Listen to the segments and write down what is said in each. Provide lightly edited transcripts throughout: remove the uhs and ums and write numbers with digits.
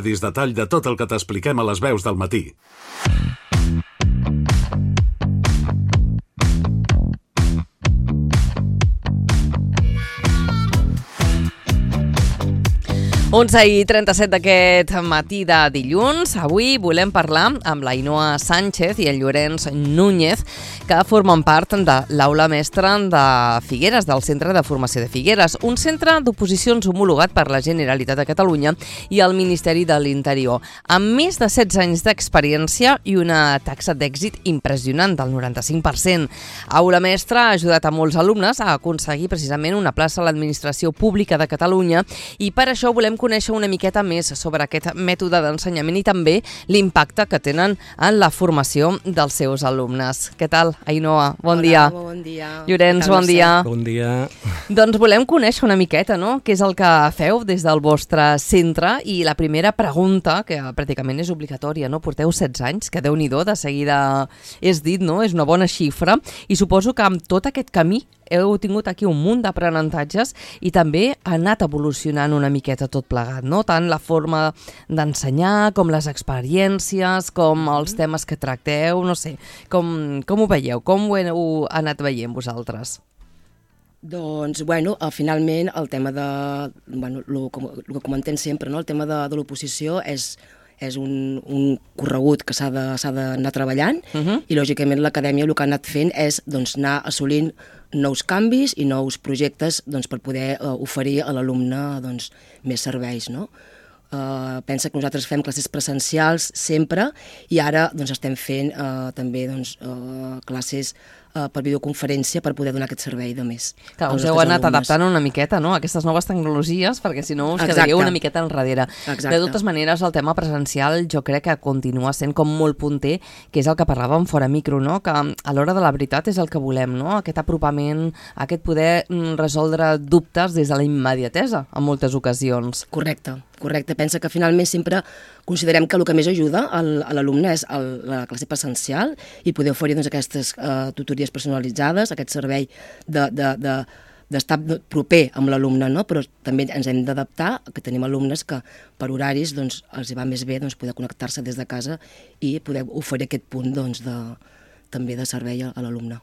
Detall de tot el que t'expliquem a les veus del matí. Onze i 37 d'aquest matí de dilluns. Avui volem parlar amb l'Ainoa Sánchez i el Llorenç Núñez, que formen part de l'aula mestra de Figueres, del Centre de Formació de Figueres, un centre d'oposicions homologat per la Generalitat de Catalunya i el Ministeri de l'Interior, amb més de 16 anys d'experiència i una taxa d'èxit impressionant del 95%. Aula mestra ha ajudat a molts alumnes a aconseguir precisament una plaça a l'administració pública de Catalunya i per això volem conèixer una miqueta més sobre aquest mètode d'ensenyament i també l'impacte que tenen en la formació dels seus alumnes. Què tal, Ainoa? Bon dia. Hola, bon dia. Llorenç, bon dia. Bon dia. Doncs volem conèixer una miqueta, no?, què és el que feu des del vostre centre i la primera pregunta, que pràcticament és obligatòria, no? Porteu 16 anys, que Déu-n'hi-do, de seguida és dit, no? És una bona xifra i suposo que amb tot aquest camí heu tingut aquí un munt d'aprenentatges i també ha anat evolucionant una miqueta tot plegat, no? Tant la forma d'ensenyar, com les experiències, com els temes que tracteu, no sé, com ho veieu, com ho heu anat veient vosaltres? Doncs, finalment el tema de, el que comentem sempre, no? El tema de l'oposició és un corregut que s'ha d'anar treballant i, lògicament, l'acadèmia el que ha anat fent és anar assolint nous canvis i nous projectes per poder oferir a l'alumne més serveis, no? Pensa que nosaltres fem classes presencials sempre i ara estem fent també classes per videoconferència per poder donar aquest servei de més. Clar, us heu anat adaptant una miqueta, no?, a aquestes noves tecnologies, perquè si no us quedaríeu una miqueta enrere. Exacte. De totes maneres, el tema presencial jo crec que continua sent com molt punter, que és el que parlàvem fora micro, no?, que a l'hora de la veritat és el que volem, no?, aquest apropament, aquest poder resoldre dubtes des de la immediatesa en moltes ocasions. Correcte. Pensa que finalment sempre considerem que el que més ajuda a l'alumne és la classe presencial i poder oferir aquestes tutories personalitzades, aquest servei d'estar proper amb l'alumne, no? Però també ens hem d'adaptar, que tenim alumnes que per horaris els va més bé poder connectar-se des de casa i poder oferir aquest punt també de servei a l'alumne.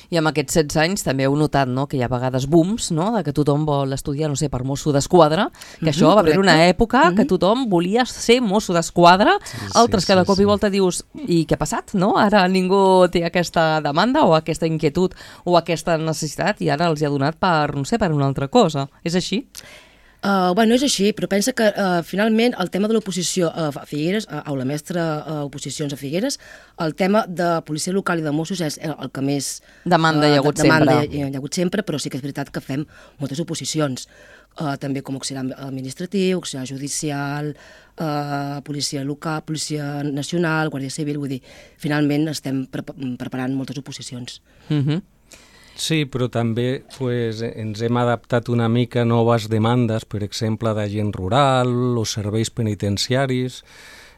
I amb aquests 16 anys també heu notat, no?, que hi ha vegades booms, no?, de que tothom vol estudiar, no sé, per mosso d'esquadra, que això va haver una època que tothom volia ser mosso d'esquadra, altres que de cop i volta dius, i què ha passat, no? Ara ningú té aquesta demanda o aquesta inquietud o aquesta necessitat i ara els hi ha donat per, no sé, per una altra cosa. És així? És així, però pensa que finalment el tema de l'oposició a Figueres, aula mestra oposicions a Figueres, el tema de policia local i de Mossos és el que més demanda hi ha hagut sempre, però sí que és veritat que fem moltes oposicions, també com auxiliar administratiu, auxiliar judicial, policia local, policia nacional, guàrdia civil, vull dir, finalment estem preparant moltes oposicions. Sí, però també ens hem adaptat una mica a noves demandes, per exemple, d'agent rural o serveis penitenciaris,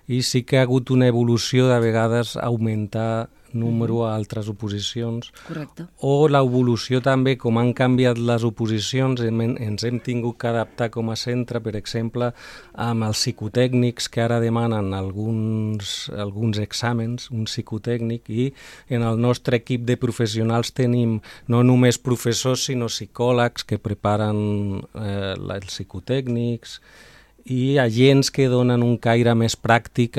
i sí que ha hagut una evolució de vegades augmentar número a altres oposicions. Correcte. O l'evolució també, com han canviat les oposicions, ens hem tingut que adaptar com a centre, per exemple, amb els psicotècnics que ara demanen alguns exàmens, un psicotècnic, i en el nostre equip de professionals tenim no només professors, sinó psicòlegs que preparen els psicotècnics i agents que donen un caire més pràctic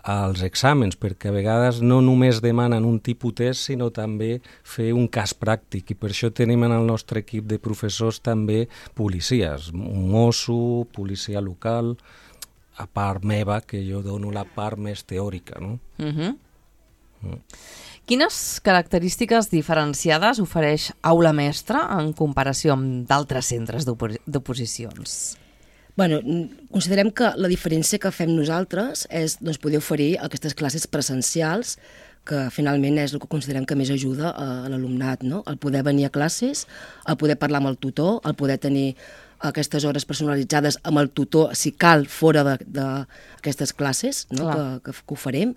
als exàmens, perquè a vegades no només demanen un tipus test, sinó també fer un cas pràctic, i per això tenim en el nostre equip de professors també policies, un mosso, policia local, a part meva, que jo dono la part més teòrica, no? Quines característiques diferenciades ofereix aula mestra en comparació amb d'altres centres d'oposicions? Considerem que la diferència que fem nosaltres és poder oferir aquestes classes presencials, que finalment és el que considerem que més ajuda a l'alumnat, no? El poder venir a classes, el poder parlar amb el tutor, el poder tenir aquestes hores personalitzades amb el tutor, si cal, fora d'aquestes classes, no? que ho farem,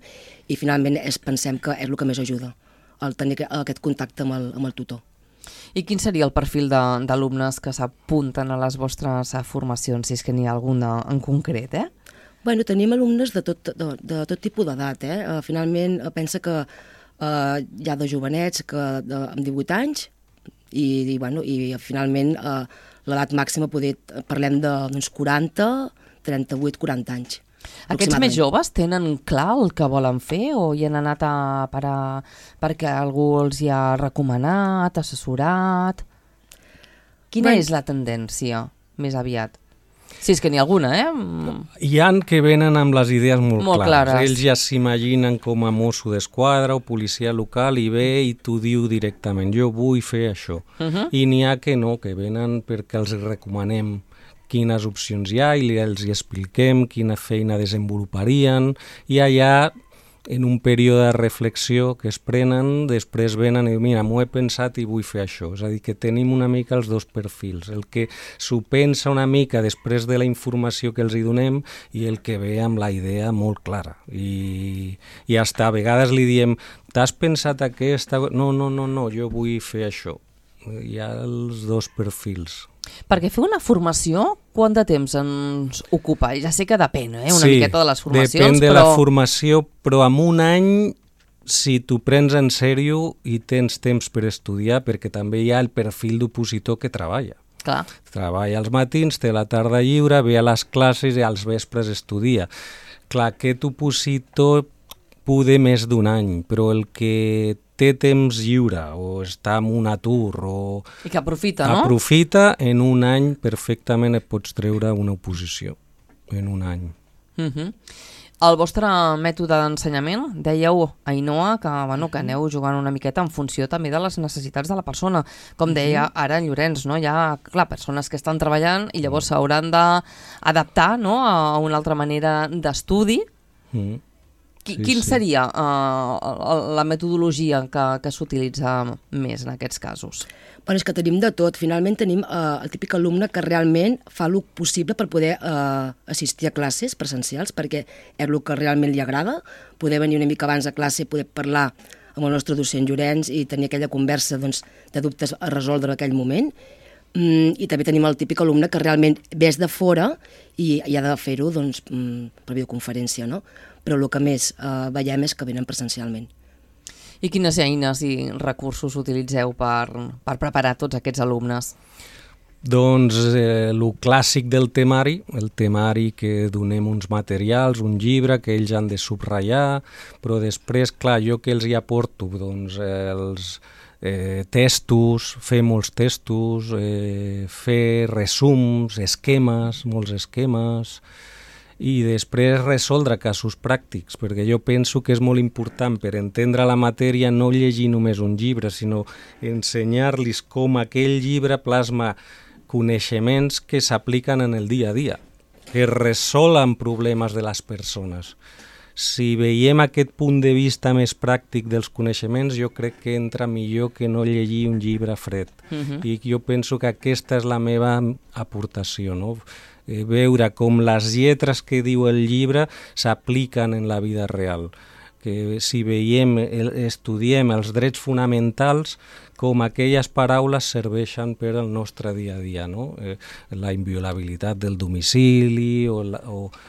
i finalment pensem que és el que més ajuda, el tenir aquest contacte amb el tutor. I quin seria el perfil d'alumnes que s'apunten a les vostres formacions, si és que n'hi ha alguna en concret, Bueno, tenim alumnes de tot tipus d'edat. Finalment, pensa que hi ha de jovenets amb 18 anys i finalment l'edat màxima parlem d'uns 40, 38, 40 anys. Aquests més joves tenen clar el que volen fer o hi han anat a parar perquè algú els hi ha recomanat, assessorat? Quina és la tendència més aviat? Si és que n'hi ha alguna, Hi ha que venen amb les idees molt clares. Ells ja s'imaginen com a mosso d'esquadra o policia local i ve i t'ho diu directament, jo vull fer això. I n'hi ha que no, que venen perquè els recomanem quines opcions hi ha i els expliquem quina feina desenvoluparien i allà en un període de reflexió que es prenen, després venen i mira, m'ho he pensat i vull fer això. És a dir, que tenim una mica els dos perfils, el que s'ho pensa una mica després de la informació que els hi donem i el que ve amb la idea molt clara. I hasta a vegades li diem, t'has pensat aquesta? No, jo vull fer això. Hi ha els dos perfils. Perquè fer una formació, quant de temps ens ocupa? Ja sé que depèn, una miqueta de les formacions, depèn de la formació, però en un any, si t'ho prens en sèrio i tens temps per estudiar, perquè també hi ha el perfil d'opositor que treballa. Clar. Treballa als matins, té la tarda lliure, ve a les classes i als vespres estudia. Clar, aquest opositor poder més d'un any, però el que té temps lliure o està en un atur o... I que aprofita, no? Aprofita, en un any perfectament et pots treure una oposició, en un any. El vostre mètode d'ensenyament, dèieu, Ainhoa, que aneu jugant una miqueta en funció també de les necessitats de la persona. Com deia ara en Llorenç, no? Hi ha, clar, persones que estan treballant i llavors s'hauran d'adaptar, no?, a una altra manera d'estudi. Quin seria la metodologia que s'utilitza més en aquests casos? Bueno, és que tenim de tot. Finalment tenim el típic alumne que realment fa el possible per poder assistir a classes presencials, perquè és el que realment li agrada, poder venir una mica abans a classe, poder parlar amb el nostre docent Llorenç i tenir aquella conversa de dubtes a resoldre en aquell moment. I també tenim el típic alumne que realment ves de fora i ha de fer-ho per videoconferència, no? Però el que més veiem és que venen presencialment. I quines eines i recursos utilitzeu per preparar tots aquests alumnes? Doncs el clàssic del temari, el temari que donem uns materials, un llibre que ells han de subratllar, però després, clar, jo que els hi aporto, doncs els testos, fer molts testos, fer resums, esquemes, molts esquemes, i després resoldre casos pràctics, perquè jo penso que és molt important per entendre la matèria no llegir només un llibre, sinó ensenyar-los com aquell llibre plasma coneixements que s'apliquen en el dia a dia, que resolen problemes de les persones. Si veiem aquest punt de vista més pràctic dels coneixements, jo crec que entra millor que no llegir un llibre fred. I jo penso que aquesta és la meva aportació, no? Veure com les lletres que diu el llibre s'apliquen en la vida real. Que si veiem, estudiem els drets fonamentals, com aquelles paraules serveixen per al nostre dia a dia, no? La inviolabilitat del domicili o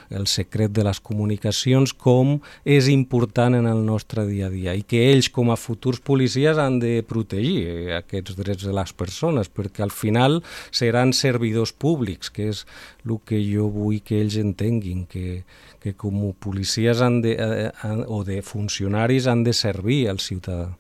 el secret de les comunicacions, com és important en el nostre dia a dia, i que ells com a futurs policies han de protegir aquests drets de les persones, perquè al final seran servidors públics, que és el que jo vull que ells entenguin, que com a policies o de funcionaris han de servir al ciutadà.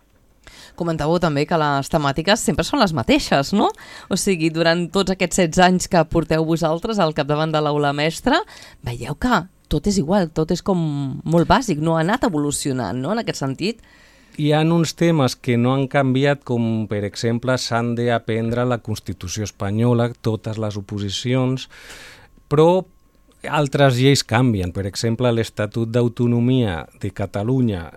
Comentàveu també que les temàtiques sempre són les mateixes, no? O sigui, durant tots aquests 16 anys que porteu vosaltres al capdavant de l'aula mestra, veieu que tot és igual, tot és com molt bàsic, no ha anat evolucionant, no?, en aquest sentit. Hi ha uns temes que no han canviat, com per exemple s'han d'aprendre la Constitució espanyola, totes les oposicions, però altres lleis canvien. Per exemple, l'Estatut d'Autonomia de Catalunya,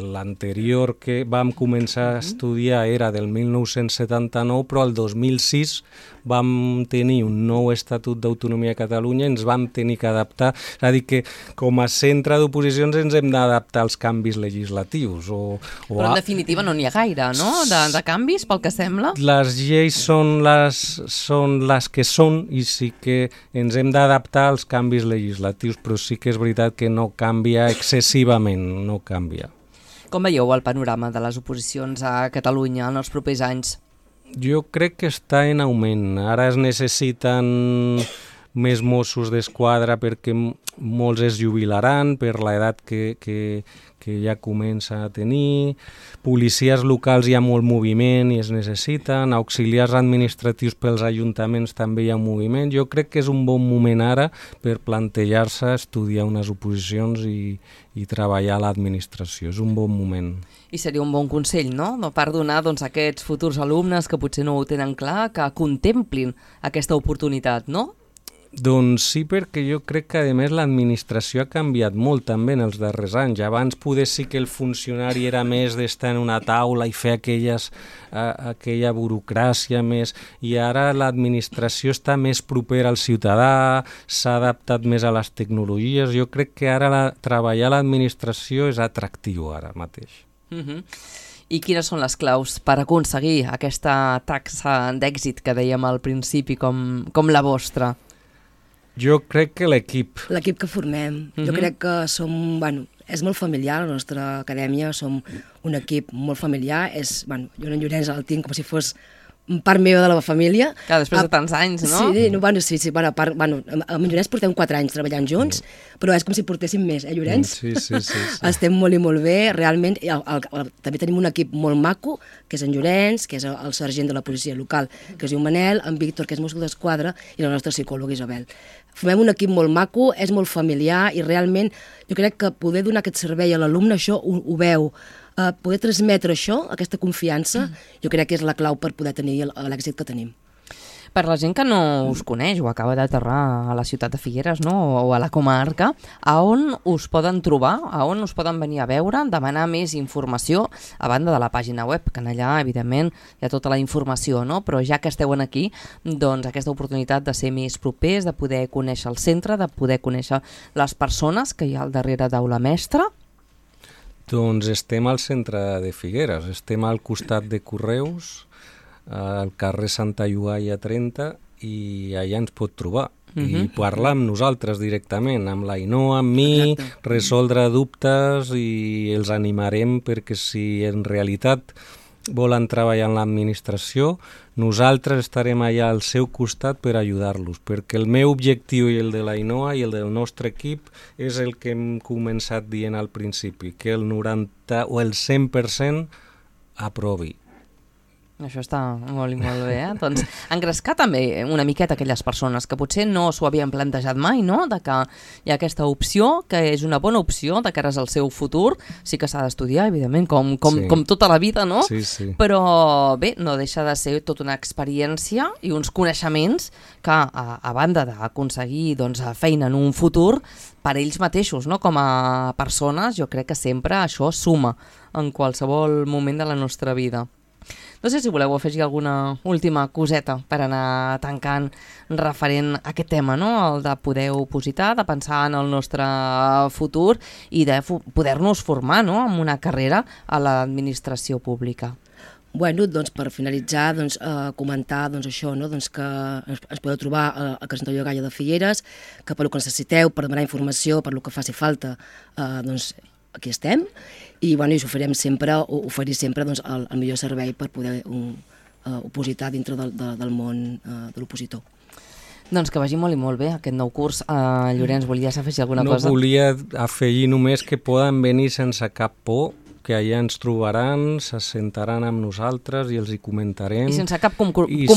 l'anterior que vam començar a estudiar era del 1979, però el 2006 vam tenir un nou Estatut d'Autonomia de Catalunya i ens vam tenir que adaptar. És a dir, que com a centre d'oposicions ens hem d'adaptar als canvis legislatius. Però en definitiva no n'hi ha gaire, no?, de canvis, pel que sembla. Les lleis són les que són i sí que ens hem d'adaptar als canvis legislatius, però sí que és veritat que no canvia excessivament, no canvia. Com veieu el panorama de les oposicions a Catalunya en els propers anys? Jo crec que està en augment. Ara es necessiten més Mossos d'Esquadra perquè molts es jubilaran per l'edat que ja comença a tenir. Policies locals hi ha molt moviment i es necessiten. Auxiliars administratius pels ajuntaments també hi ha un moviment. Jo crec que és un bon moment ara per plantejar-se, estudiar unes oposicions i treballar a l'administració. És un bon moment. I seria un bon consell, no? Per donar aquests futurs alumnes que potser no ho tenen clar, que contemplin aquesta oportunitat, no? Doncs sí, perquè jo crec que a més l'administració ha canviat molt també en els darrers anys. Abans poder sí que el funcionari era més d'estar en una taula i fer aquella burocràcia més, i ara l'administració està més propera al ciutadà, s'ha adaptat més a les tecnologies. Jo crec que ara treballar a l'administració és atractiu ara mateix. I quines són les claus per aconseguir aquesta taxa d'èxit que dèiem al principi com la vostra? Jo crec que l'equip. L'equip que formem. Jo crec que som... Bueno, és molt familiar, la nostra acadèmia, som un equip molt familiar. Jo en Llorenç el tinc com si fos part meva de la família. Clar, després de tants anys, no? Sí, amb Llorenç portem 4 anys treballant junts, però és com si portéssim més, Llorenç? Sí. Estem molt i molt bé, realment. També tenim un equip molt maco, que és en Llorenç, que és el sergent de la policia local, que es diu Manel, en Víctor, que és Mosso d'Esquadra, i la nostra psicòloga Isabel. Formem un equip molt maco, és molt familiar, i realment jo crec que poder donar aquest servei a l'alumne, això ho veu. Poder transmetre això, aquesta confiança, jo crec que és la clau per poder tenir l'èxit que tenim. Per la gent que no us coneix o acaba d'aterrar a la ciutat de Figueres, no? O a la comarca, a on us poden trobar, a on us poden venir a veure, demanar més informació, a banda de la pàgina web, que allà, evidentment, hi ha tota la informació, no? Però ja que esteu aquí, doncs aquesta oportunitat de ser més propers, de poder conèixer el centre, de poder conèixer les persones que hi ha al darrere d'Aula Mestra. Doncs estem al centre de Figueres, estem al costat de Correus, al carrer Santa Llogaia 30, i allà ens pot trobar. I parlar amb nosaltres directament, amb l'Ainoa, amb mi, resoldre dubtes, i els animarem perquè si en realitat volen treballar en l'administració, nosaltres estarem allà al seu costat per ajudar-los, perquè el meu objectiu i el de l'Ainoa i el del nostre equip és el que hem començat dient al principi, que el 90 o el 100% aprovi. Això està molt i molt bé, Doncs engrescar també una miqueta aquelles persones que potser no s'ho havien plantejat mai, no? De que hi ha aquesta opció, que és una bona opció de cara al seu futur. Sí que s'ha d'estudiar, evidentment, com tota la vida, no? Sí. Però bé, no deixa de ser tota una experiència i uns coneixements que, a banda d'aconseguir feina en un futur, per ells mateixos, no? Com a persones, jo crec que sempre això suma en qualsevol moment de la nostra vida. No sé si voleu afegir alguna última coseta per anar tancant referent a aquest tema, no? El de poder opositar, de pensar en el nostre futur i de poder-nos formar, no? En una carrera a l'administració pública. Bueno, doncs per finalitzar, comentar això, no? Que ens podeu trobar a Casa Santa Llogaia de Figueres, que per el que necessiteu, per demanar informació, per el que faci falta, aquí estem, i us oferir sempre el millor servei per poder opositar dintre del món de l'opositor. Doncs que vagi molt i molt bé aquest nou curs. Llorenç, volies afegir alguna cosa? No, volia afegir només que poden venir sense cap por, que allà ens trobaran, se sentaran amb nosaltres i els hi comentarem. I sense cap compromís.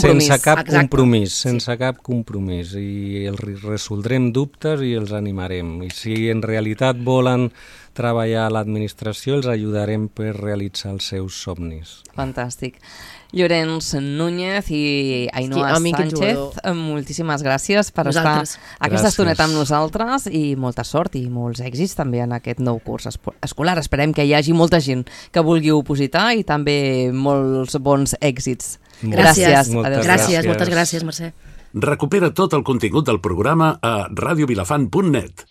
Sense cap compromís. I els resoldrem dubtes i els animarem. I si en realitat volen treballar a l'administració, els ajudarem per realitzar els seus somnis. Fantàstic. Llorenç Núñez i Ainoa Sánchez, moltíssimes gràcies per estar aquesta estoneta amb nosaltres i molta sort i molts èxits també en aquest nou curs escolar. Esperem que hi hagi molta gent que vulgui opositar i també molts bons èxits. Gràcies. Moltes gràcies, Mercè. Recupera tot el contingut del programa a radiovilafant.net.